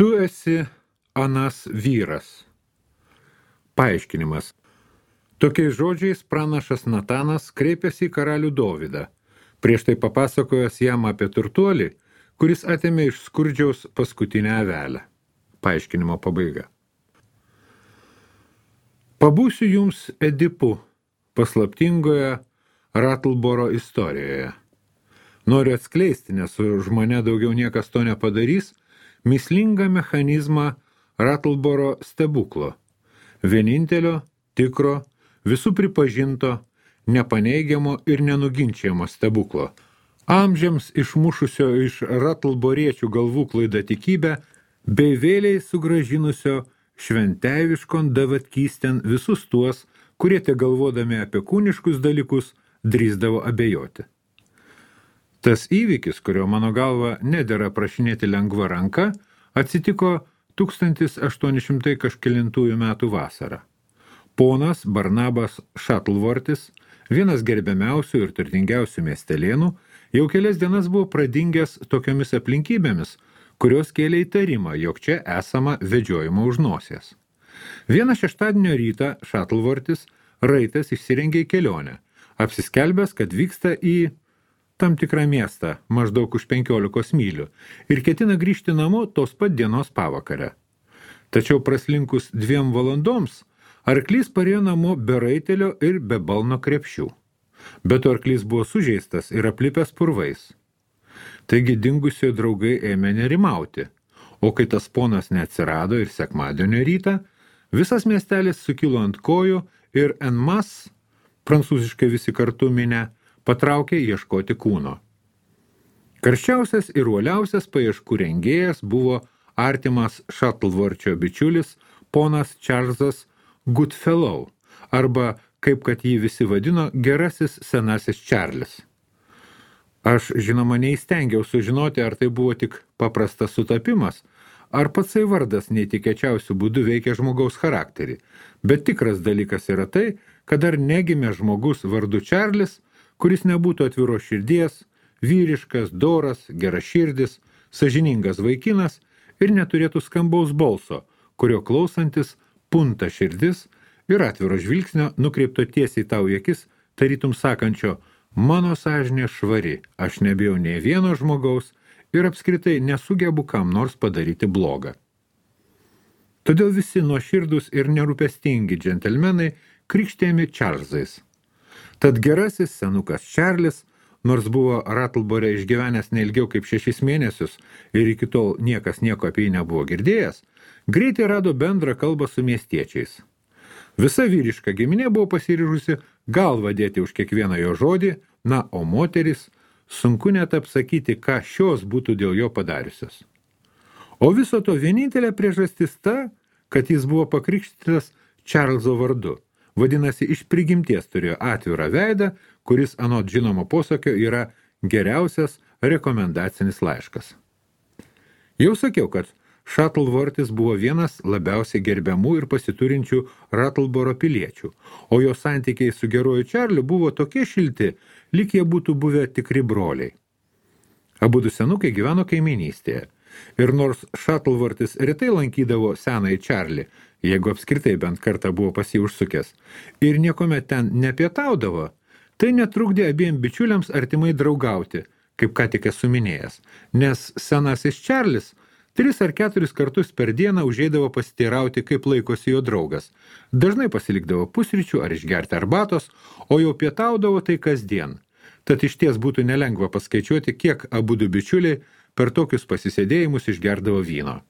Tu esi anas vyras. Paaiškinimas. Tokiais žodžiais pranašas Natanas kreipėsi į karalių Dovydą, prieš tai papasakojęs jam apie turtuolį, kuris atėmė iš skurdžiaus paskutinę avelę. Paaiškinimo pabaiga. Pabūsiu jums Edipu paslaptingoje Ratlboro istorijoje. Noriu atskleisti, nes už mane daugiau niekas to nepadarys, mįslingą mechanizmą Ratlboro stebuklo, vienintelio, tikro, visų pripažinto, nepaneigiamo ir nenuginčiamo stebuklo, amžiams išmušusio iš ratlboriečių galvų klaidatikybę, bei vėliai sugrąžinusio šventeiviškon davatkystėn visus tuos, kurie te galvodami apie kūniškus dalykus drįsdavo abejoti. Tas įvykis, kurio mano galva nedera prašinėti lengva ranka, atsitiko 1800 kažkelintųjų metų vasarą. Ponas Barnabas Šatlvortis, vienas gerbiamiausių ir turtingiausių miestelėnų, jau kelias dienas buvo pradingęs tokiomis aplinkybėmis, kurios kėlė įtarimą, jog čia esama vedžiojimo už nosies. Vieną šeštadienio rytą Šatlvortis raitas išsirengė į kelionę, apsiskelbęs, kad vyksta į tam tikrą miestą, maždaug už 15 mylių, ir ketina grįžti namo tos pat dienos pavakarę. Tačiau praslinkus 2 valandoms, arklys parėjo namo be raitelio ir be balno krepšių. Bet arklys buvo sužeistas ir aplipęs purvais. Taigi dingusiojo draugai ėmė nerimauti, o kai tas ponas neatsirado ir sekmadienio rytą, visas miestelis sukilo ant kojų ir en masse, prancūziškai visi kartu minę, patraukė ieškoti kūno. Karščiausias ir uoliausias paieškų rengėjas buvo artimas Šatlvorčio bičiulis ponas Čarlzas Goodfellow, arba, kaip kad jį visi vadino, gerasis senasis Čarlis. Aš, žinoma, neįstengiau sužinoti, ar tai buvo tik paprastas sutapimas, ar patsai vardas neįtikėčiausių būdų veikia žmogaus charakterį, bet tikras dalykas yra tai, kad dar negimė žmogus vardu Čarlis, kuris nebūtų atviros širdies, vyriškas, doras, geraširdis, sąžiningas vaikinas ir neturėtų skambaus balso, kurio klausantis punta širdis ir atviro žvilgsnio nukreipto tiesiai tau į akis, tarytum sakančio, mano sąžinė švari, aš nebijau nei vieno žmogaus ir apskritai nesugebu kam nors padaryti blogą. Todėl visi nuoširdūs ir nerūpestingi džentelmenai krikštėjami Čarlzais. Tad gerasis senukas Čarlis, nors buvo Ratlbore išgyvenęs neilgiau kaip 6 mėnesius ir iki tol niekas nieko apie jį nebuvo girdėjęs, greitai rado bendrą kalbą su miestiečiais. Visa vyriška giminė buvo pasiryžusi galvą dėti už kiekvieną jo žodį, na, o moteris sunku net apsakyti, ką šios būtų dėl jo padariusios. O viso to vienintelė priežastis ta, kad jis buvo pakrikštytas Čarlzo vardu. Vadinasi, iš prigimties turėjo atvirą veidą, kuris anot žinomo posakio yra geriausias rekomendacinis laiškas. Jau sakiau, kad Šatlvortis buvo vienas labiausiai gerbiamų ir pasiturinčių Ratlboro piliečių, o jo santykiai su geruoju Čarliu buvo tokie šilti, lyg jie būtų buvę tikri broliai. Abudu senukai gyveno kaiminystėje, ir nors Šatlvortis retai lankydavo senąjį Čarlį, jeigu apskritai bent kartą buvo pas jį užsukęs, ir niekuomet ten nepietaudavo, tai netrukdė abiem bičiuliams artimai draugauti, kaip ką tik esu minėjęs, nes senasis Čarlis 3 ar 4 kartus per dieną užeidavo pasiteirauti, kaip laikosi jo draugas. Dažnai pasilikdavo pusryčių ar išgerti arbatos, o jau pietaudavo tai kasdien. Tad išties būtų nelengva paskaičiuoti, kiek abudu bičiuliai per tokius pasisėdėjimus išgerdavo vyno.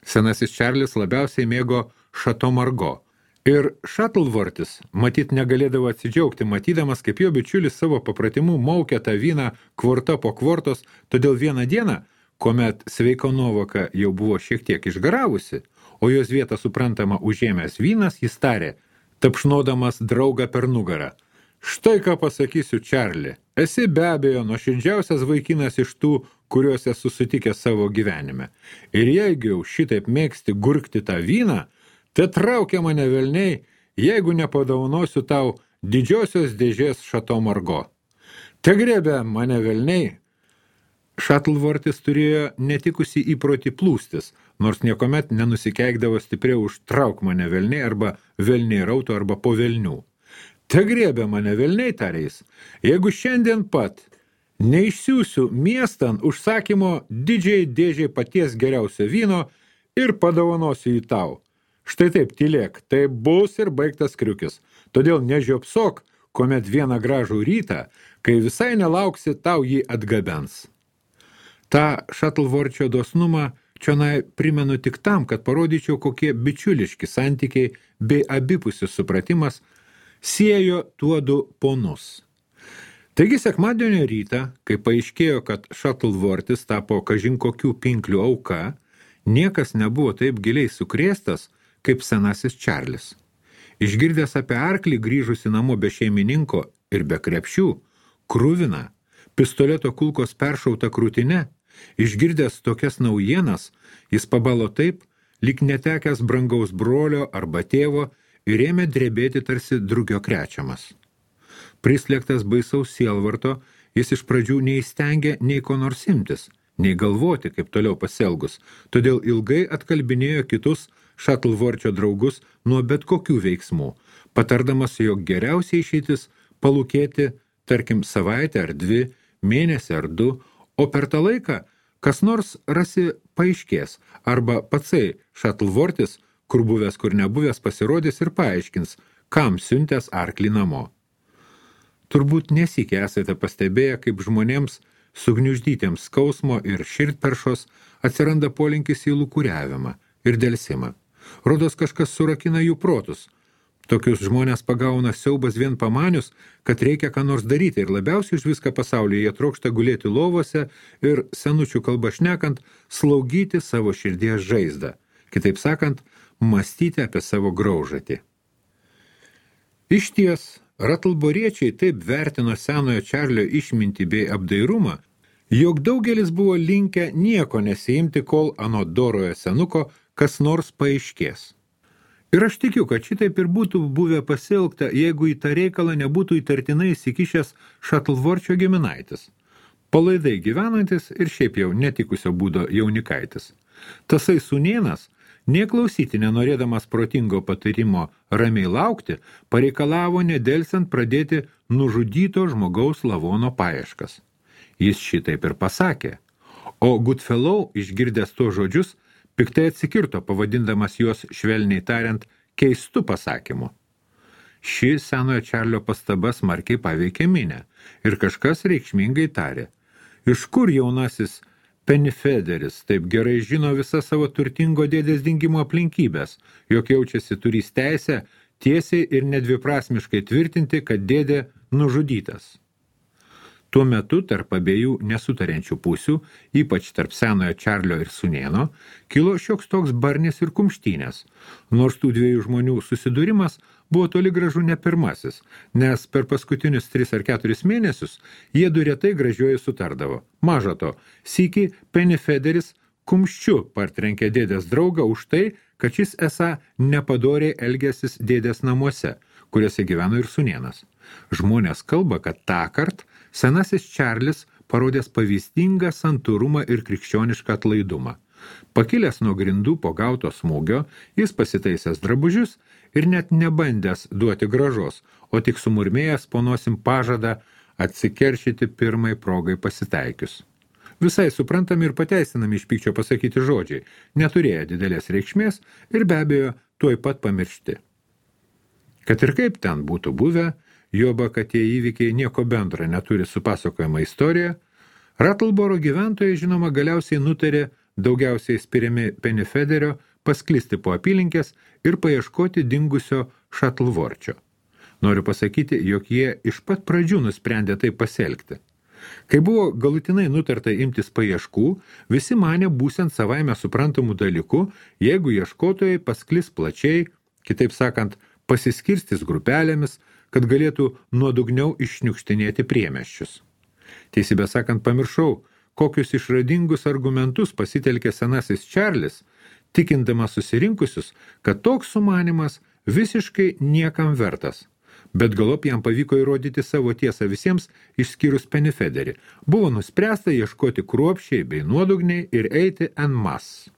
Senasis Čarlis labiausiai mėgo Šato Margo. Ir Šatlvortis matyt negalėdavo atsidžiaugti, matydamas, kaip jo bičiulis savo papratimu maukė tą vyną kvorta po kvortos, todėl vieną dieną, kuomet sveiko nuovoka jau buvo šiek tiek išgaravusi, o jos vietą suprantama užėmęs vynas, jis tarė, tapšnodamas draugą per nugarą. Štai ką pasakysiu, Čarli, esi be abejo nuoširdžiausias vaikinas iš tų, kuriuos esu sutikęs savo gyvenime. Ir jeigu jau šitaip mėgsti gurkti tą vyną, tai traukia mane velniai, jeigu nepadaunosiu tau didžiosios dėžės Šato Margo. Te griebė mane velniai, Shuttleworth'is turėjo netikusi įprotį plūstis, nors niekuomet nenusikeikdavo stipriau už trauk mane velniai arba velniai rautų arba po velnių. Te griebė mane velniai, tarės, jeigu šiandien pat neišsiųsiu miestan užsakymo didžiai dėžiai paties geriausio vyno ir padovanosiu jį tau. Štai taip, tylėk, tai bus ir baigtas kriukis. Todėl nežiopsok, kuomet vieną gražų rytą, kai visai nelauksi, tau jį atgabens. Ta Shuttleworth'io dosnumą čionai primenu tik tam, kad parodyčiau, kokie bičiuliški santykiai bei abipusis supratimas siejo tuodu ponus. Taigi sekmadienio rytą, kai paaiškėjo, kad Shuttleworth'is tapo kažin kokių pinklių auka, niekas nebuvo taip giliai sukrėstas, kaip senasis Čarlis. Išgirdęs apie arklį grįžusi namo be šeimininko ir be krepšių, kruvina, pistoleto kulkos peršauta krūtine, išgirdęs tokias naujienas, jis pabalo taip, lyg netekęs brangaus brolio arba tėvo ir ėmė drebėti tarsi drugio krečiamas. Prislėgtas baisaus sielvarto, jis iš pradžių neįstengė nei ko nors imtis, nei galvoti, kaip toliau pasielgus, todėl ilgai atkalbinėjo kitus Shuttleworth'io draugus nuo bet kokių veiksmų, patardamas, jog geriausiai išeitis palūkėti, tarkim, savaitę ar 2, mėnesį ar 2, o per tą laiką kas nors rasi paaiškės, arba patsai Shuttleworth'is, kur buvęs, kur nebuvęs, pasirodys ir paaiškins, kam siuntęs arklį namo. Turbūt nesykiai esate pastebėję, kaip žmonėms sugniuždytiems skausmo ir širdperšos atsiranda polinkis į lūkuriavimą ir delsimą. Rodos kažkas surakina jų protus. Tokius žmonės pagauna siaubas vien pamanius, kad reikia ką nors daryti ir labiausiai už viską pasaulyje jie trokšta gulėti lovose ir, senučių kalba šnekant, slaugyti savo širdies žaizdą. Kitaip sakant, mąstyti apie savo graužatį. Išties, Ratlboriečiai taip vertino senojo Čarlio išmintį bei apdairumą, jog daugelis buvo linkę nieko nesiimti, kol anot dorojo senuko kas nors paaiškės. Ir aš tikiu, kad šitaip ir būtų buvę pasielgta, jeigu į tą reikalą nebūtų įtartinai įsikišęs Shuttleworth'io giminaitis, palaidai gyvenantis ir šiaip jau netikusio būdo jaunikaitis. Tasai sūnėnas, neklausyti nenorėdamas protingo patarimo ramiai laukti, pareikalavo nedelsiant pradėti nužudyto žmogaus lavono paieškas. Jis šitaip ir pasakė, o Goodfellow, išgirdęs to žodžius, piktai atsikirto, pavadindamas juos, švelniai tariant, keistu pasakymu. Ši senojo Čarlio pastaba smarkiai paveikė minę ir kažkas reikšmingai tarė, iš kur jaunasis Pennyfederis taip gerai žino visą savo turtingo dėdės dingimo aplinkybės, jog jaučiasi turys teisę tiesiai ir nedviprasmiškai tvirtinti, kad dėdė nužudytas. Tuo metu tarp abiejų nesutariančių pusių, ypač tarp senojo Čarlio ir sūnėno, kilo šioks toks barnis ir kumštynės, nors tų dviejų žmonių susidūrimas buvo toli gražu ne pirmasis, nes per paskutinius 3 ar 4 mėnesius jie du retai gražiuoju sutardavo. Maža to, sykį Pennyfederis kumščiu partrenkė dėdės draugą už tai, kad šis esą nepadoriai elgėsis dėdės namuose, kuriuose gyveno ir sūnėnas. Žmonės kalba, kad tąkart senasis Čarlis parodęs pavyzdingą santūrumą ir krikščionišką atlaidumą. Pakilęs nuo grindų po gauto smūgio, jis pasitaisęs drabužius ir net nebandęs duoti gražos, o tik sumurmėjęs po nosim pažadą atsikeršyti pirmai progai pasitaikius. Visai suprantami ir pateisinami iš pykčio pasakyti žodžiai, neturėjo didelės reikšmės ir be abejo tuoj pat pamiršti. Kad ir kaip ten būtų buvę, juoba, kad tie įvykiai nieko bendra neturi su pasakojama istorija, Rattleboro gyventojai, žinoma, galiausiai nutarė, daugiausiai spiriami Pennyfederio, pasklisti po apylinkės ir paieškoti dingusio Shuttleworth'io. Noriu pasakyti, jog jie iš pat pradžių nusprendė tai pasielgti. Kai buvo galutinai nutarta imtis paieškų, visi manė būsiant savaime suprantamų dalykų, jeigu ieškotojai pasklis plačiai, kitaip sakant, pasiskirstys grupelėmis, kad galėtų nuodugniau iššniukštinėti priemiesčius. Teisybę sakant, pamiršau, kokius išradingus argumentus pasitelkė senasis Čarlis, tikindamas susirinkusius, kad toks sumanymas visiškai niekam vertas. bet galop jam pavyko įrodyti savo tiesą visiems, išskyrus Penifederį. Buvo nuspręsta ieškoti kruopščiai bei nuodugniai ir eiti en masse.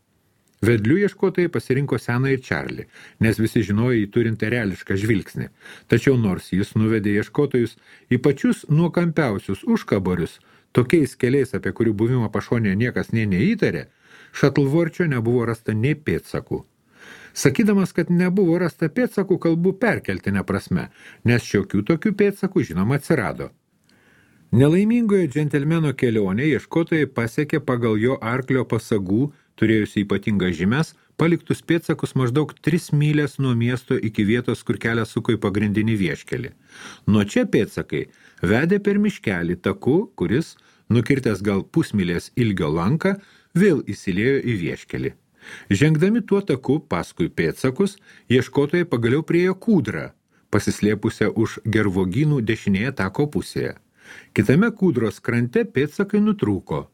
Vedlių ieškotojai pasirinko seną ir Čarlį, nes visi žinojo jį turint reališką žvilgsnį. Tačiau nors jis nuvedė ieškotojus į pačius nuokampiausius užkaborius, tokiais keliais, apie kurių buvimą pašonėje niekas neįtarė, Šatlvorčio nebuvo rasta nei pėdsakų. Sakydamas, kad nebuvo rasta pėdsakų, kalbu perkeltinę prasme, nes šiokių tokių pėdsakų žinoma atsirado. Nelaimingoje džentelmeno kelionė ieškotojai pasiekė pagal jo arklio pasagų, turėjusi ypatingas žymes, paliktus pėdsakus maždaug 3 mylės nuo miesto iki vietos, kur kelias suko į pagrindinį vieškelį. Nuo čia pėdsakai vedė per miškelį taku, kuris, nukirtęs gal pusmylės ilgio lanką, vėl įsiliejo į vieškelį. Žengdami tuo taku paskui pėdsakus, ieškotojai pagaliau priėjo kūdrą, pasislėpusią už gervogynų dešinėje tako pusėje. Kitame kūdros krante pėdsakai nutrūko.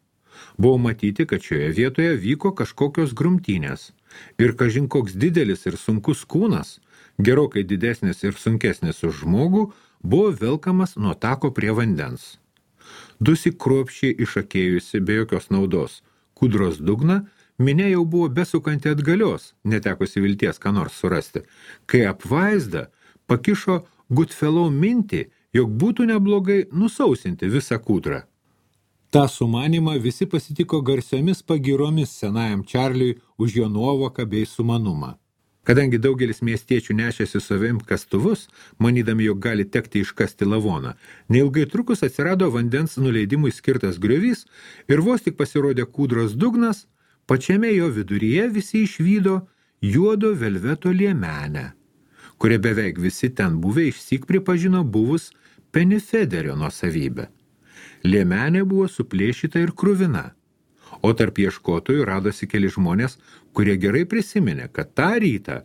Buvo matyti, kad šioje vietoje vyko kažkokios grumtynės ir kažin koks didelis ir sunkus kūnas, gerokai didesnis ir sunkesnis už žmogų, buvo velkamas nuo tako prie vandens. Dusi kruopščiai išakėjusi be jokios naudos kūdros dugną, minia jau buvo besukanti atgalios, netekusi vilties ką nors surasti, kai apvaizda pakišo Goodfellow mintį, jog būtų neblogai nusausinti visą kūdrą. Ta sumanimą visi pasitiko garsiomis pagyromis senajam Čarliui už jo nuovoką bei sumanumą. Kadangi daugelis miestiečių nešėsi savim kastuvus, manydami, jog gali tekti iškasti lavoną, neilgai trukus atsirado vandens nuleidimui skirtas griovys ir vos tik pasirodė kūdros dugnas, pačiame jo viduryje visi išvydo juodo velveto liemenę, kurie beveik visi ten buvę išsyk pripažino buvus Penifederio nuosavybę. Liemenė buvo suplėšyta ir kruvina, o tarp ieškotojų radosi keli žmonės, kurie gerai prisiminė, kad tą rytą,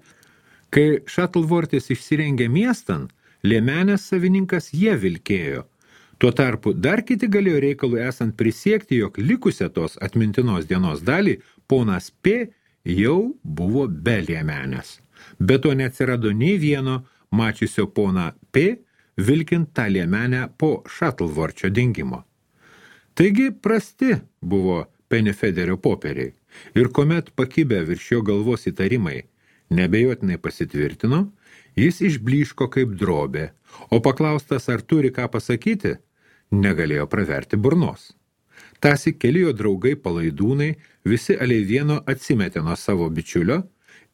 kai Šatlvortis išsirengė miestan, liemenės savininkas jie vilkėjo. Tuo tarpu dar kiti galėjo reikalų esant prisiekti, jog likusią tos atmintinos dienos dalį ponas P jau buvo be liemenės. Be to neatsirado nei vieno mačiusio poną P vilkint tą liemenę po Šatlvorčio dingimo. Taigi prasti buvo Penifederio popieriai ir kuomet pakibę virš jo galvos įtarimai nebejotinai pasitvirtino, jis išblyško kaip drobė, o paklaustas, ar turi ką pasakyti, negalėjo praverti burnos. Tąsyk keli jo draugai palaidūnai visi aliai vieno atsimetė nuo savo bičiulio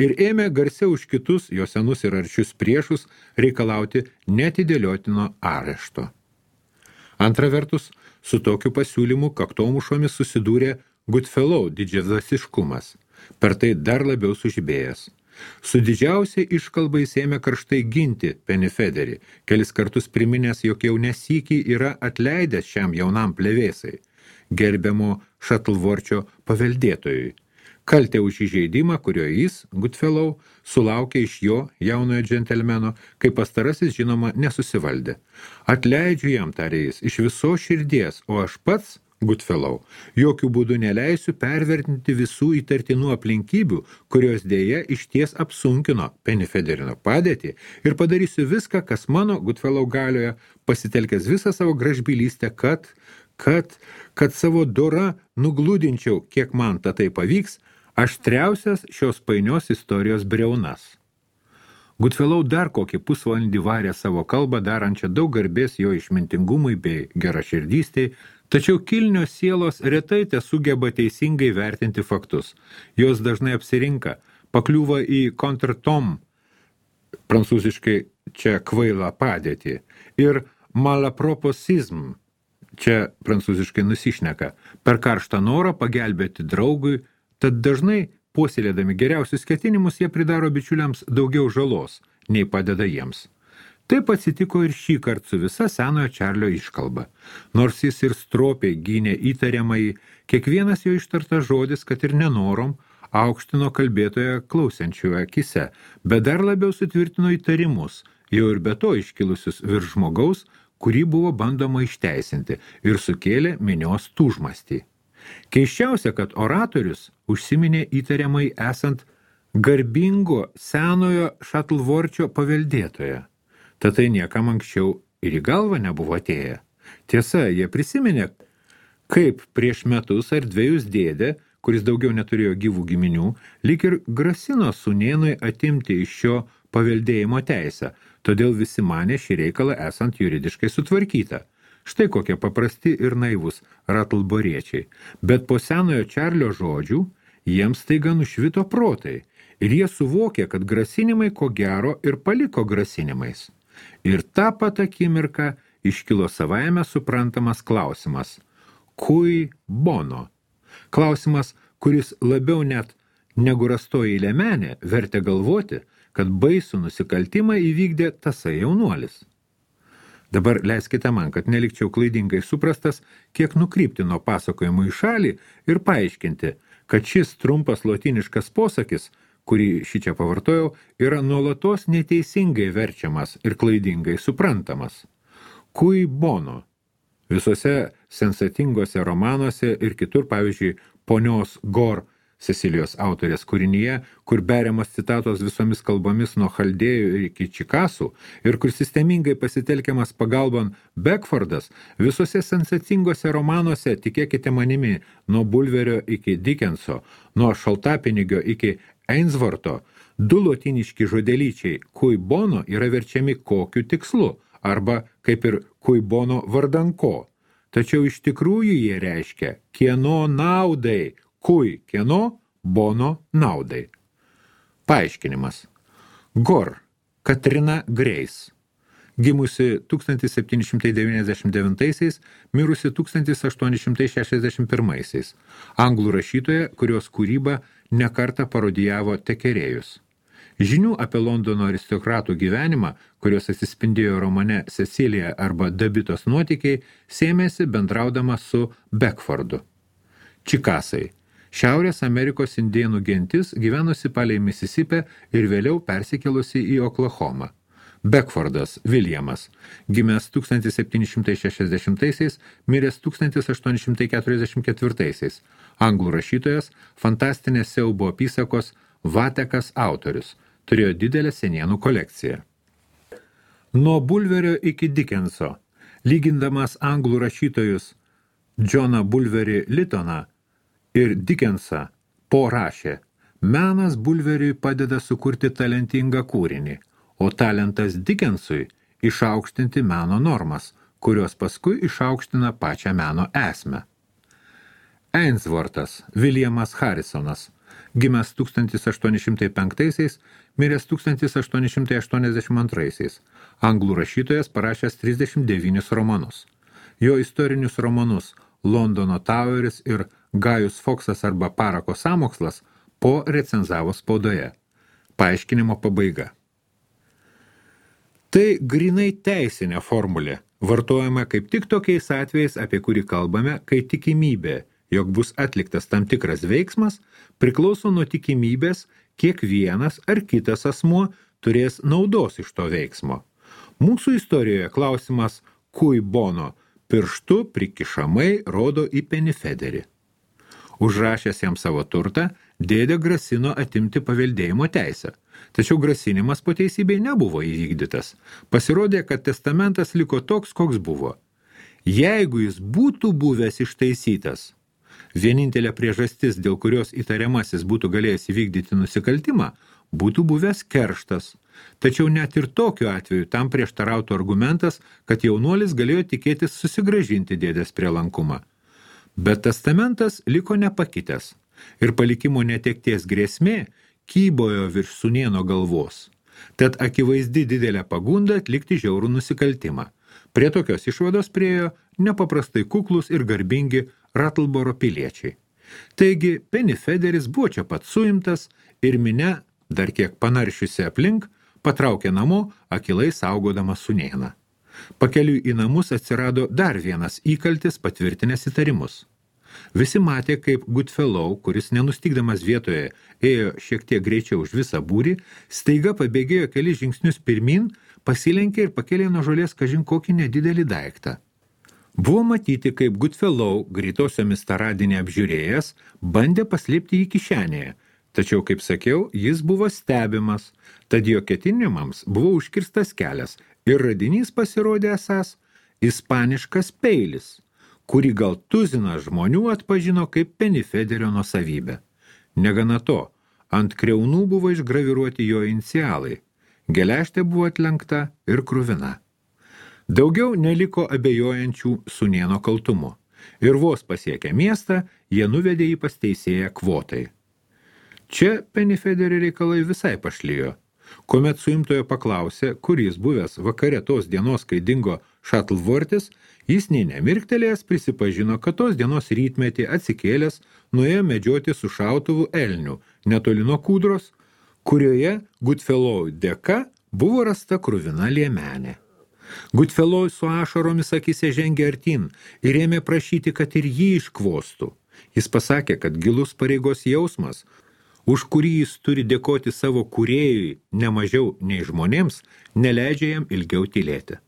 ir ėmė garsiau už kitus jo senus ir aršius priešus reikalauti neatidėliotino arešto. Antra vertus, su tokiu pasiūlymu kaktomušomis susidūrė Goodfellow didžiavasiškumas, per tai dar labiau sužibėjęs. Su didžiausiai iškalba jis ėmė karštai ginti Penifederį, kelis kartus priminęs, jog jau nesykį yra atleidęs šiam jaunam plevėsai, gerbiamo Šatlvorčio paveldėtojui. Kaltė už įžeidimą, kurio jis, Goodfellow, sulaukė iš jo, jaunojo džentelmeno, kai pastarasis, žinoma, nesusivaldė. Atleidžiu jam, tarė jis, iš viso širdies, o aš pats, Goodfellow, jokių būdų neleisiu pervertinti visų įtartinų aplinkybių, kurios dėja išties apsunkino Penifederino padėtį ir padarysiu viską, kas mano Goodfellow galioje, pasitelkęs visą savo gražbylystę, kad savo dorą nugludinčiau, kiek man tai pavyks, aštriausias šios painios istorijos briaunas. Goodfellow dar kokį pusvalandį varė savo kalbą, darančią daug garbės jo išmintingumui bei geraširdystei, tačiau kilnios sielos retai tesugeba teisingai vertinti faktus. Jos dažnai apsirinka, pakliūva į contretemps, prancūziškai čia kvailą padėtį, ir malaproposizm, čia prancūziškai nusišneka, per karštą norą pagelbėti draugui, tad dažnai, puoselėdami geriausius ketinimus, jie pridaro bičiuliams daugiau žalos, nei padeda jiems. Taip atsitiko ir šį kartą su visa senojo Čarlio iškalba. Nors jis ir stropiai gynė įtariamąjį, kiekvienas jo ištartas žodis, kad ir nenorom, aukštino kalbėtoją klausiančiųjų akise, bet dar labiau sutvirtino įtarimus, jau ir be to iškilusius virš žmogaus, kurį buvo bandoma išteisinti ir sukėlė minios tūžmastį. Keiščiausia, kad oratorius užsiminė įtariamai esant garbingo senojo Šatlvorčio paveldėtoje. Tad tai niekam anksčiau ir į galvą nebuvo atėję. Tiesa, jie prisiminė, kaip prieš metus ar 2 dėdė, kuris daugiau neturėjo gyvų giminių, lyg ir grasino sūnėnui atimti iš šio paveldėjimo teisę, todėl visi manė šį reikalą esant juridiškai sutvarkytą. Štai kokie paprasti ir naivus ratlboriečiai. Bet po senojo Čarlio žodžių jiems staiga nušvito protai ir jie suvokė, kad grasinimai ko gero ir paliko grasinimais. Ir tą pat akimirką iškilo savaime suprantamas klausimas – cui bono? Klausimas, kuris labiau net negu rastoji liemenė vertė galvoti, kad baisų nusikaltimą įvykdė tasai jaunuolis. Dabar leiskite man, kad nelikčiau klaidingai suprastas, kiek nukrypti nuo pasakojimų į šalį ir paaiškinti, kad šis trumpas lotyniškas posakis, kurį šičia pavartojau, yra nuolatos neteisingai verčiamas ir klaidingai suprantamas. Cui bono? Visose sensatingose romanuose ir kitur, pavyzdžiui, ponios Gor, Cecilijos autorės kūrinyje, kur beriamas citatos visomis kalbomis nuo chaldėjų iki čikasų ir kur sistemingai pasitelkiamas pagalban Beckfordas, visose sensacingose romanuose, tikėkite manimi, nuo Bulverio iki Dickenso, nuo Šaltapinigio iki Ainsworto, 2 lotyniški žodelyčiai cui bono yra verčiami kokiu tikslu, arba kaip ir cui bono vardan ko. Tačiau iš tikrųjų jie reiškia kieno naudai, cui kieno bono naudai. Paaiškinimas. Gor, Katrina Grace, gimusi 1799, mirusi 1861, anglų rašytoja, kurios kūrybą nekartą parodijavo tekerėjus. Žinių apie Londono aristokratų gyvenimą, kurios atsispindėjo romane Cecilija arba Dabitos nuotykiai, sėmėsi bendraudama su Beckfordu. Čikasai. Šiaurės Amerikos indėnų gentis gyvenusi palei Misisipę ir vėliau persikėlusi į Oklahomą. Beckfordas Williamas, gimęs 1760, miręs 1844, anglų rašytojas, fantastinės siaubo apysakos Vatekas autorius, turėjo didelę senienų kolekciją. Nuo Bulverio iki Dickenso, lygindamas anglų rašytojus Johną Bulverį Lytoną ir Dickensą rašė, menas Bulveriui padeda sukurti talentingą kūrinį, o talentas Dickensui išaukštinti meno normas, kurios paskui išaukština pačią meno esmę. Ainswortas Williamas Harrisonas, gimęs 1805, miręs 1882, anglų rašytojas parašęs 39 romanus. Jo istorinius romanus Londono Toweris ir Gajus Foksas arba Parako sąmokslas recenzavo spaudoje. Paaiškinimo pabaiga. Tai grinai teisinė formulė, vartojama kaip tik tokiais atvejais, apie kurį kalbame, kai tikimybė, jog bus atliktas tam tikras veiksmas, priklauso nuo tikimybės, kiek vienas ar kitas asmuo turės naudos iš to veiksmo. Mūsų istorijoje klausimas cui bono pirštu prikišamai rodo į Pennyfederį. Užrašęs jam savo turtą, dėdė grasino atimti paveldėjimo teisę. Tačiau grasinimas po teisybei nebuvo įvykdytas. Pasirodė, kad testamentas liko toks, koks buvo. Jeigu jis būtų buvęs ištaisytas, vienintelė priežastis, dėl kurios įtariamasis būtų galėjęs įvykdyti nusikaltimą, būtų buvęs kerštas. Tačiau net ir tokiu atveju tam prieštarautų argumentas, kad jaunuolis galėjo tikėtis susigrąžinti dėdės prielankumą. Bet testamentas liko nepakitęs ir palikimo netekties grėsmė kybojo virš sūnėno galvos. Tad akivaizdi didelė pagunda atlikti žiaurų nusikaltimą. Prie tokios išvados priėjo nepaprastai kuklus ir garbingi Rattleboro piliečiai. Taigi Pennyfederis buvo čia pat suimtas ir minia, dar kiek panaršiusi aplink, patraukė namo, akilai saugodamas sūnėną. Pakeliui į namus atsirado dar vienas įkaltis patvirtinęs įtarimus. Visi matė, kaip Goodfellow, kuris nenustikdamas vietoje ėjo šiek tiek greičiau už visą būrį, staiga pabėgėjo kelis žingsnius pirmin, pasilenkė ir pakėlė nuo žolės kažin kokį nedidelį daiktą. Buvo matyti, kaip Goodfellow, greitosiomis tą radinį apžiūrėjęs, bandė paslėpti jį kišenėje, Tačiau, kaip sakiau, jis buvo stebimas, tad jo ketinimams buvo užkirstas kelias ir radinys pasirodė esąs ispaniškas peilis, kurį gal tuzinas žmonių atpažino kaip Penifederio nuosavybę. Negana to, ant kriaunų buvo išgraviruoti jo inicialai, geležtė buvo atlenkta ir kruvina. Daugiau neliko abejojančių sūnėno kaltumu, ir vos pasiekę miestą, jie nuvedė jį pas teisėją Kvotai. Čia Penifederio reikalai visai pašlijo. Kuomet suimtojo paklausė, kur jis buvęs vakare tos dienos, kai dingo Shuttleworthis, jis nei nemirktelėjęs prisipažino, kad tos dienos rytmetį atsikėlęs nuėjo medžioti su šautuvu elnių netoli nuo kūdros, kurioje Goodfellow dėka buvo rasta kruvina liemenė. Goodfellow su ašaromis akise žengė artin ir ėmė prašyti, kad ir jį iškvostų. Jis pasakė, kad gilus pareigos jausmas, už kurį jis turi dėkoti savo kūrėjui ne mažiau nei žmonėms, neleidžia jam ilgiau tylėti.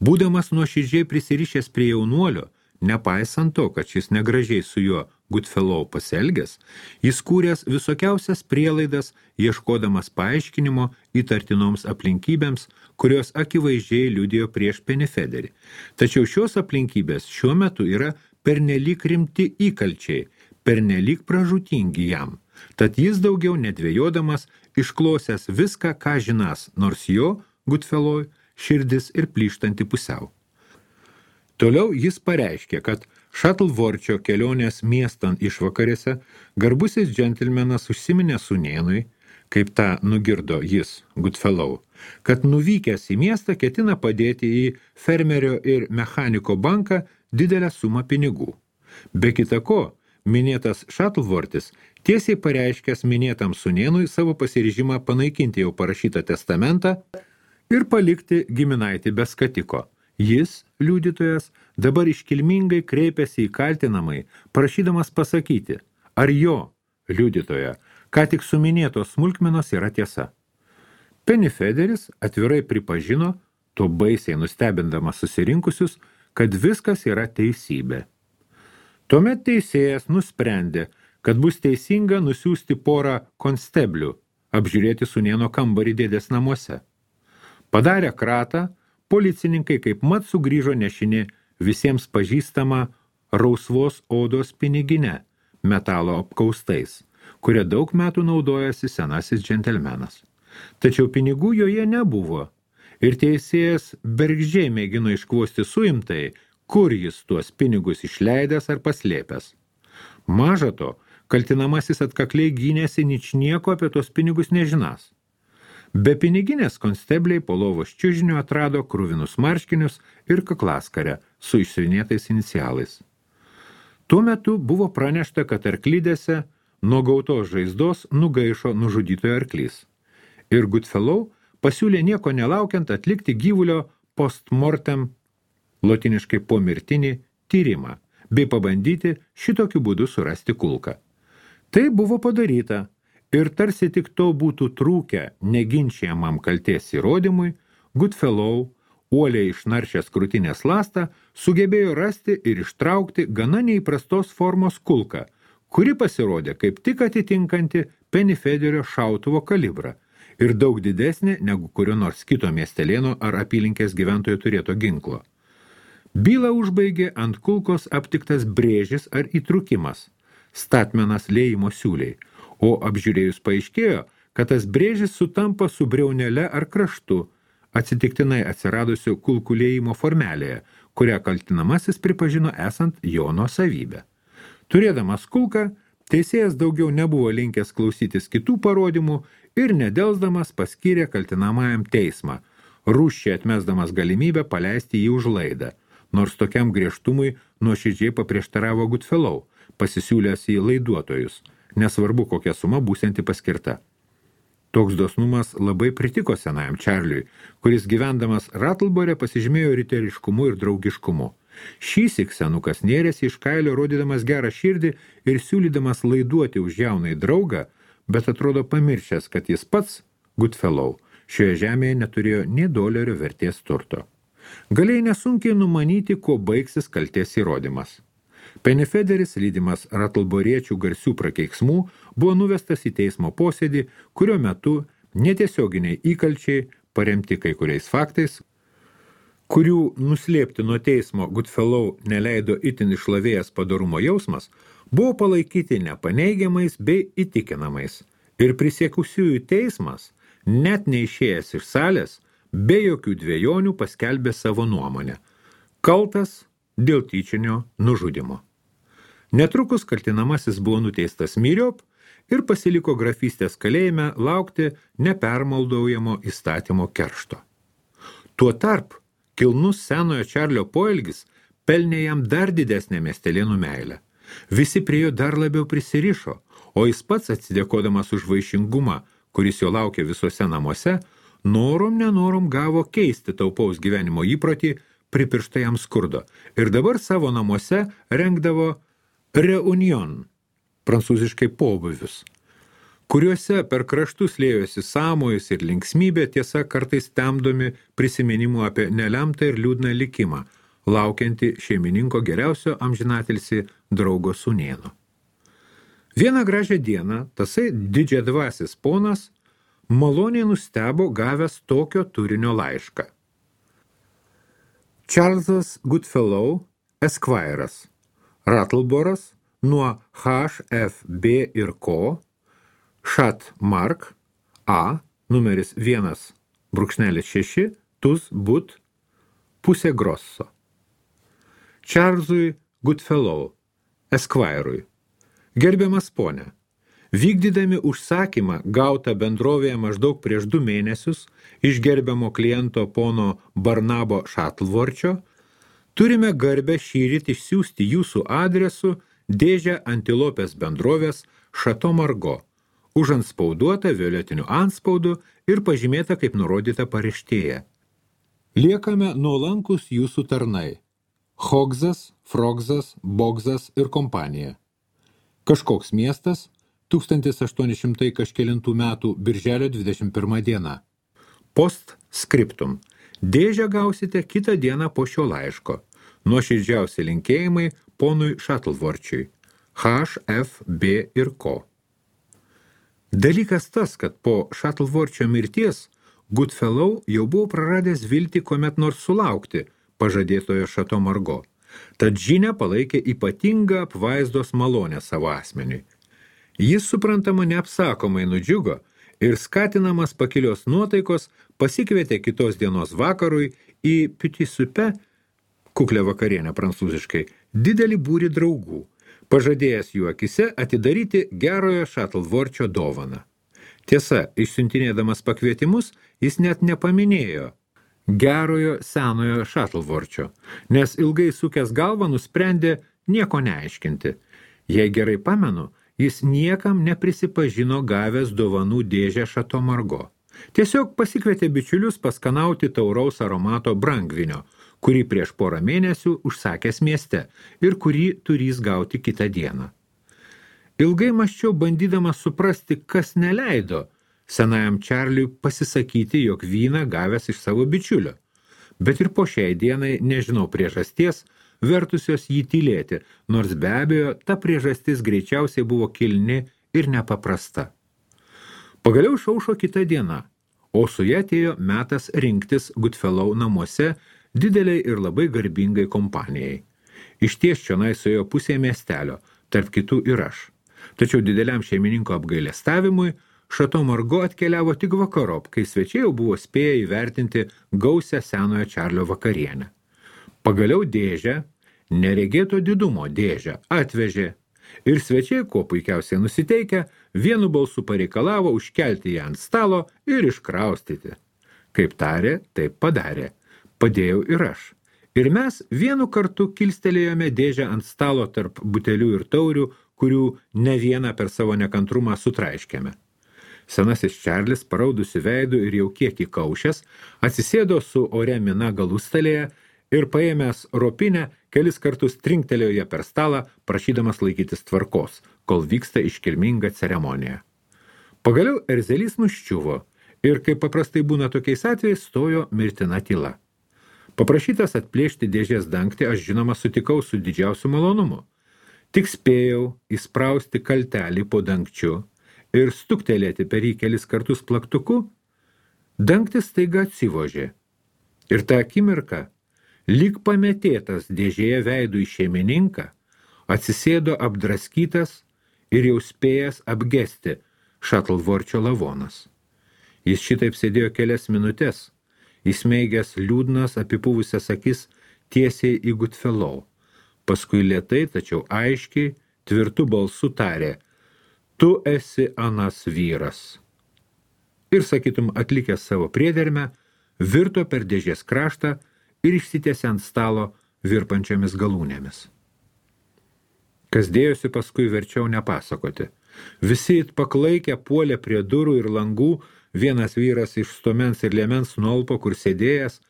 Būdamas nuoširdžiai prisirišęs prie jaunuolio, nepaisant to, kad šis negražiai su juo Goodfellow pasielgęs, jis kūręs visokiausias prielaidas, ieškodamas paaiškinimo įtartinoms aplinkybėms, kurios akivaizdžiai liudijo prieš Penifederį. Tačiau šios aplinkybės šiuo metu yra pernelyg rimti įkalčiai, pernelyg pražūtingi jam. Tad jis daugiau nedvėjodamas išklausęs viską, ką žinas, nors jo, Goodfellow, širdis ir plyštanti pusiau. Toliau jis pareiškė, kad Shuttleworthio kelionės miestan išvakarėse garbusis džentelmenas užsiminė sūnėnui, kaip tą nugirdo jis, Goodfellow, kad nuvykęs į miestą ketina padėti į fermerio ir mechaniko banką didelę sumą pinigų. Be kita ko, minėtas Shuttleworthis tiesiai pareiškęs minėtam sūnėnui savo pasiryžimą panaikinti jau parašytą testamentą ir palikti giminaitį be skatiko. Jis, liudytojas, dabar iškilmingai kreipėsi į kaltinamai, prašydamas pasakyti, ar jo, liudytoja, ką tik suminėtos smulkmenos yra tiesa. Penifederis atvirai pripažino, to baisiai nustebindamas susirinkusius, kad viskas yra teisybė. Tuomet teisėjas nusprendė, kad bus teisinga nusiųsti porą konsteblių, apžiūrėti sūnėno kambarį dėdės namuose. Padarę kratą, policininkai kaip mat sugrįžo nešini visiems pažįstama rausvos odos piniginė, metalo apkaustais, kuria daug metų naudojasi senasis džentelmenas. Tačiau pinigų joje nebuvo, ir teisėjas bergždžiai mėgino iškvosti suimtai, kur jis tuos pinigus išleidęs ar paslėpęs. Maža to, kaltinamasis atkakliai gynėsi ničnieko apie tos pinigus nežinas. Be piniginės konstebliai po lovos čiužiniu atrado kruvinus marškinius ir kaklaskarę su išsiuvinėtais inicialais. Tuo metu buvo pranešta, kad arklidėse nuo gautos žaizdos nugaišo nužudytojo arklys. Ir Goodfellow pasiūlė nieko nelaukiant atlikti gyvulio postmortem, lotiniškai pomirtinį tyrimą, bei pabandyti šitokiu būdu surasti kulką. Tai buvo padaryta, ir tarsi tik to būtų trūkę neginčiamam kaltės įrodymui, Goodfellow, uoliai išnaršęs krūtinės lastą, sugebėjo rasti ir ištraukti gana neįprastos formos kulką, kuri pasirodė kaip tik atitinkanti Penifederio šautuvo kalibrą ir daug didesnė negu kurio nors kito miestelėno ar apylinkės gyventojo turėto ginklo. Bylą užbaigė ant kulkos aptiktas brėžis ar įtrukimas, statmenas liejimo siūliai, o apžiūrėjus paaiškėjo, kad tas brėžis sutampa su briaunele ar kraštu, atsitiktinai atsiradusiu kulkų liejimo formelėje, kurią kaltinamasis pripažino esant jo nuosavybę. Turėdamas kulką, teisėjas daugiau nebuvo linkęs klausytis kitų parodymų ir nedelsdamas paskyrė kaltinamajam teismą, rūsčiai atmesdamas galimybę paleisti jį už laidą, nors tokiam griežtumui nuoširdžiai paprieštaravo Goodfellow, pasisiūlęs į laiduotojus, nesvarbu kokia suma būsianti paskirta. Toks dosnumas labai pritiko senajam Čarliui, kuris gyvendamas Rattlebore pasižymėjo riteriškumu ir draugiškumu. Šįsyk senukas nėrėsi iš kailio, rodydamas gerą širdį ir siūlydamas laiduoti už jaunai draugą, bet atrodo pamiršęs, kad jis pats, Goodfellow, šioje žemėje neturėjo nė dolerio vertės turto. Galėjai nesunkiai numanyti, kuo baigsis kaltės įrodymas. Penifederis, lydimas ratlboriečių garsių prakeiksmų, buvo nuvestas į teismo posėdį, kurio metu netiesioginiai įkalčiai, paremti kai kuriais faktais, kurių nuslėpti nuo teismo Goodfellow neleido itin išlavėjęs padorumo jausmas, buvo palaikyti nepaneigiamais bei įtikinamais. Ir prisiekusiųjų teismas, net neišėjęs iš salės, be jokių dvejonių paskelbė savo nuomonę. Kaltas dėl tyčinio nužudimo. Netrukus kaltinamasis buvo nuteistas myriop ir pasiliko grafystės kalėjime laukti nepermaldaujamo įstatymo keršto. Tuo tarp, kilnus senojo Čarlio poelgis pelnė jam dar didesnę miestelėnų meilę. Visi prie jo dar labiau prisirišo, o jis pats atsidėkodamas už vaišingumą, kuris jo laukia visuose namuose, nenorom gavo keisti taupaus gyvenimo įprotį, pripirštą jam skurdo, ir dabar savo namuose rengdavo reunion, prancūziškai pobūvius, kuriuose per kraštus lėjosi sąmojus ir linksmybė, tiesa kartais temdomi prisiminimų apie nelemtą ir liūdną likimą, laukianti šeimininko geriausio amžinatilsį draugo sūnėno. Vieną gražią dieną tasai didžiadvasis ponas maloniai nustebo gavęs tokio turinio laišką. Charlesas Goodfellow, Esquire'as, Rattleboras nuo HFB ir Co. Šat Mark A, numeris 1/6, Tuz But, pusė Grosso. Charlesui Goodfellow, Esquire'ui. Gerbiamas ponė, vykdydami užsakymą gautą bendrovėje maždaug prieš 2 mėnesius iš gerbiamo kliento pono Barnabo Šatlvorčio, turime garbę šįryt išsiųsti jūsų adresu dėžę antilopės bendrovės Šato Margo, užantspauduota violetiniu antspaudu ir pažymėta kaip nurodyta paraštėje. Liekame nuolankus jūsų tarnai. Hogsas, Frogsas, Bogsas ir kompanija. Kažkoks miestas, 1800 kažkelintų metų birželio 21 diena. Post scriptum. Dėžę gausite kitą dieną po šio laiško. Nuoširdžiausi linkėjimai ponui Šatlvorčiui. HFB ir Co. Dalykas tas, kad po Šatlvorčio mirties Goodfellow jau buvo praradęs viltį kuomet nors sulaukti pažadėtojo Šato Margo. Tad žinia palaikė ypatingą apvaizdos malonę savo asmeniui. Jis, suprantama, neapsakomai nudžiugo ir skatinamas pakilios nuotaikos pasikvietė kitos dienos vakarui į Petit Souper, kuklę vakarienę prancūziškai, didelį būrį draugų, pažadėjęs jų akise atidaryti gerojo Šatlvorčio dovaną. Tiesa, išsiuntinėdamas pakvietimus, jis net nepaminėjo gerojo senojo Šatlvorčio, nes ilgai sukęs galvą nusprendė nieko neaiškinti. Jei gerai pamenu, jis niekam neprisipažino gavęs dovanų dėžę Šato Margo. Tiesiog pasikvietė bičiulius paskanauti tauraus aromato brangvinio, kurį prieš porą mėnesių užsakęs mieste ir kurį turys gauti kitą dieną. Ilgai mąsčiau, bandydamas suprasti, kas neleido senajam Čarliui pasisakyti, jog vyną gavęs iš savo bičiulio. Bet ir po šiai dienai nežinau priežasties, vertusios jį tylėti, nors be abejo ta priežastis greičiausiai buvo kilni ir nepaprasta. Pagaliau išaušo kita diena, o su ja atėjo metas rinktis Goodfellow namuose dideliai ir labai garbingai kompanijai. Išties čionai suėjo pusė miestelio, tarp kitų ir aš. Tačiau dideliam šeimininko apgailestavimui Šato Margo atkeliavo tik vakarop, kai svečiai jau buvo spėję įvertinti gausią senojo Čarlio vakarienę. Pagaliau dėžę, neregėto didumo dėžę, atvežė ir svečiai, kuo puikiausiai nusiteikę, vienu balsu pareikalavo užkelti ją ant stalo ir iškraustyti. Kaip tarė, taip padarė. Padėjau ir aš. Ir mes vienu kartu kilstelėjome dėžę ant stalo tarp butelių ir taurių, kurių ne vieną per savo nekantrumą sutraiškėme. Senasis Čarlis, paraudusi veidų ir jau kiek įkaušęs, atsisėdo su ore mina galustalėje ir paėmęs ropinę kelis kartus trinktelėjo ją per stalą, prašydamas laikytis tvarkos, kol vyksta iškilminga ceremonija. Pagaliau erzelys nuščiuvo ir, kaip paprastai būna tokiais atvejais, stojo mirtina tyla. Paprašytas atplėšti dėžės dangtį, aš žinoma sutikau su didžiausiu malonumu. Tik spėjau įsprausti kaltelį po dangčiu ir stuktelėti per jį kelis kartus plaktuku, dangtis staiga atsivožė. Ir tą akimirką, lyg pametėtas dėžėje veidų į šeimininką, atsisėdo apdraskytas ir jau spėjęs apgesti Šatlvorčio lavonas. Jis šitaip sėdėjo kelias minutės, įsmeigęs liūdnas apipuvusias akis tiesiai į Goodfellow. Paskui lėtai, tačiau aiškiai, tvirtu balsu tarė: tu esi anas vyras. Ir, sakytum, atlikęs savo priedermę, virto per dėžės kraštą ir išsitiesė ant stalo virpančiomis galūnėmis. Kas dėjosi paskui verčiau nepasakoti. Visi it paklaikę puolė prie durų ir langų, vienas vyras iš stomens ir liemens nuolpo, kur sėdėjęs,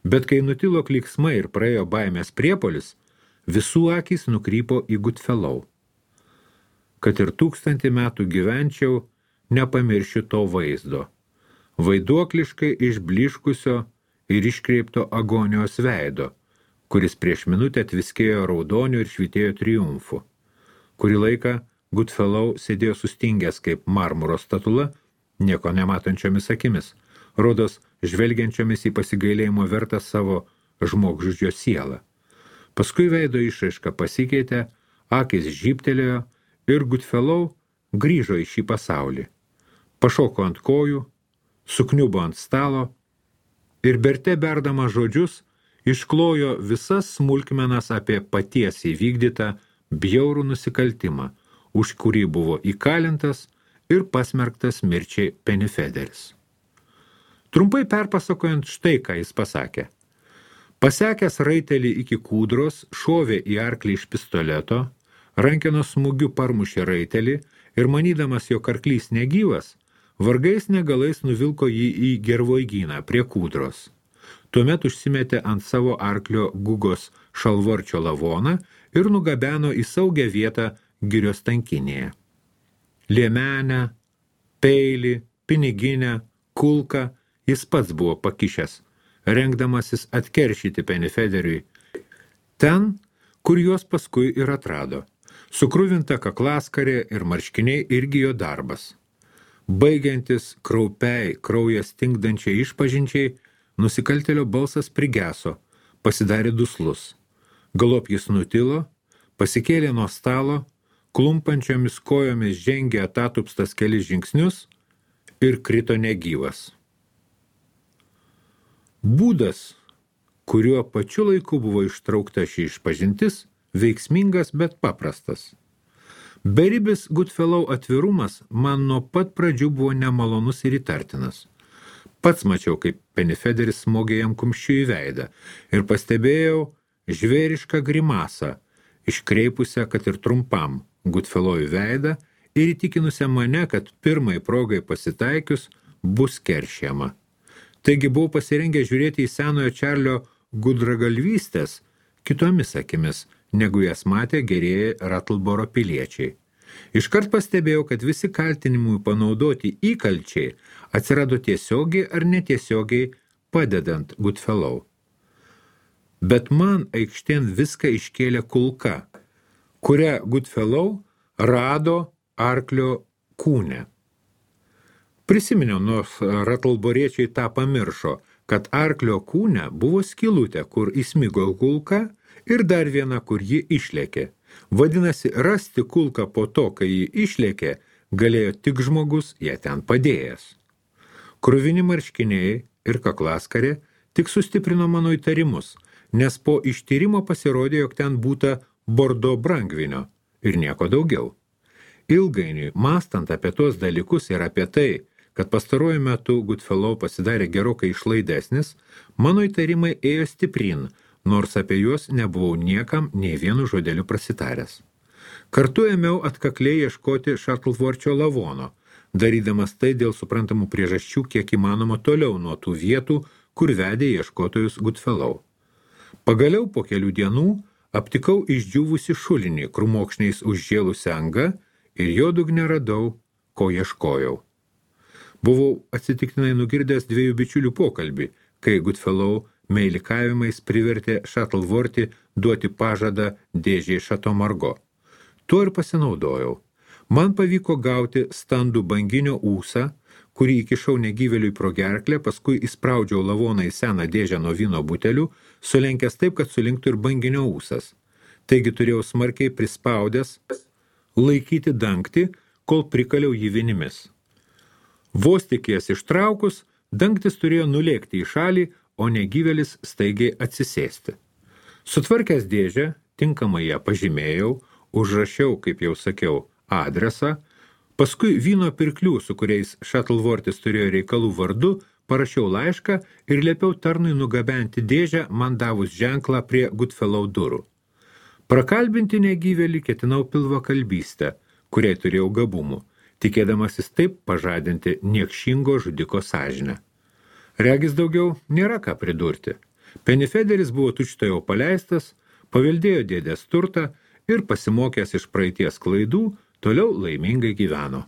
bet kai nutilo klyksmai ir praėjo baimės priepolis, visų akys nukrypo į Goodfellow. Kad ir 1000 metų gyvenčiau, nepamiršiu to vaizdo. Vaiduokliškai išbliškusio ir iškreipto agonijos veido, kuris prieš minutę tviskėjo raudoniu ir švytėjo triumfu. Kurį laiką Goodfellow sėdėjo sustingęs kaip marmuro statula, nieko nematančiomis akimis, rodos žvelgiančiomis į pasigailėjimo vertą savo žmogžudžio sielą. Paskui veido išraiška pasikeitė, akys žybtelėjo ir Goodfellow grįžo į šį pasaulį. Pašoko ant kojų, sukniubo ant stalo ir berte berdama žodžius išklojo visas smulkmenas apie paties įvykdytą bjaurų nusikaltimą, už kurį buvo įkalintas ir pasmerktas mirčiai Pennyfederis. Trumpai perpasakojant štai, ką jis pasakė. Pasekęs raitelį iki kūdros, šovė į arklį iš pistoleto, rankenos smūgiu parmušė raitelį ir manydamas, jog arklys negyvas, vargais negalais nuvilko jį į gervoigyną prie kūdros. Tuomet užsimetė ant savo arklio Gugos Šalvorčio lavoną ir nugabeno į saugią vietą girios tankinėje. Liemenę, peilį, piniginę, kulką jis pats buvo pakišęs, rengdamasis atkeršyti Pennyfederiui ten, kur juos paskui ir atrado. Sukruvinta kaklaskarė ir marškiniai irgi jo darbas. Baigiantis kraupiai, kraują stingdančiai išpažinčiai, nusikaltėlio balsas prigeso, pasidarė duslus. Galop jis nutilo, pasikėlė nuo stalo, klumpančiomis kojomis žengė atatupstas kelis žingsnius ir krito negyvas. Būdas, kuriuo pačiu laiku buvo ištraukta ši išpažintis, veiksmingas, bet paprastas. Beribis Goodfellow atvirumas man nuo pat pradžių buvo nemalonus ir įtartinas. Pats mačiau, kaip Pennyfederis smogė jam kumščiu į veidą ir pastebėjau žvėrišką grimasą, iškreipusią, kad ir trumpam, Goodfellow į veidą ir įtikinusią mane, kad pirmai progai pasitaikius bus keršiama. Taigi buvau pasirengę žiūrėti į senojo Čarlio gudragalvystės kitomis akimis, negu jas matė gerieji Rattleboro piliečiai. Iškart pastebėjau, kad visi kaltinimui panaudoti įkalčiai atsirado tiesiogiai ar netiesiogiai padedant Goodfellow. Bet man aikštėn viską iškėlė kulka, kurią Goodfellow rado arklio kūne. Prisiminiau, nors Rattleboriečiai tą pamiršo, kad arklio kūne buvo skylutė, kur įsmigo kulka ir dar viena, kur ji išlėkė. Vadinasi, rasti kulką po to, kai ji išlėkė, galėjo tik žmogus ją ten padėjęs. Kruvini marškiniai ir kaklaskarė tik sustiprino mano įtarimus, nes po ištyrimo pasirodė, jog ten būta bordo brangvinio ir nieko daugiau. Ilgainiui, mąstant apie tos dalykus ir apie tai, kad pastaruoju metu Goodfellow pasidarė gerokai išlaidesnis, mano įtarimai ėjo stiprin, nors apie juos nebuvau niekam nei vienu žodeliu prasitaręs. Kartu ėmiau atkakliai ieškoti Šatlvorčio lavono, darydamas tai dėl suprantamų priežasčių kiek įmanoma toliau nuo tų vietų, kur vedė ieškotojus Goodfellow. Pagaliau po kelių dienų aptikau išdžiūvusi šulinį, krūmokšniais užžėlusią angą ir jo dugne radau, ko ieškojau. Buvau atsitiktinai nugirdęs 2 bičiulių pokalbį, kai Goodfellow meilikavimais privertė Šatlvortį duoti pažadą dėžei Šato Margo. Tuo ir pasinaudojau. Man pavyko gauti standų banginio ūsą, kurį įkišau negyvėliui pro gerklę, paskui įspraudžiau lavoną į seną dėžę nuo vyno butelių, sulenkęs taip, kad surinktų ir banginio ūsas. Taigi turėjau smarkiai prispaudęs laikyti dangtį, kol prikaliau jį vinimis. Vos tik jas ištraukus, dangtis turėjo nulėkti į šalį, o negyvėlis staigiai atsisėsti. Sutvarkęs dėžę, tinkamai ją pažymėjau, užrašiau, kaip jau sakiau, adresą, paskui vyno pirklių, su kuriais Shuttleworthis turėjo reikalų vardu, parašiau laišką ir liepiau tarnui nugabenti dėžę, man davus ženklą prie Goodfellow durų. Prakalbinti negyvėlį ketinau pilvakalbystę, kuriai turėjau gabumų, tikėdamasis taip pažadinti niekšingo žudiko sąžinę. Regis daugiau nėra ką pridurti. Pennyfederis buvo tučtuojau paleistas, paveldėjo dėdės turtą ir pasimokęs iš praeities klaidų, toliau laimingai gyveno.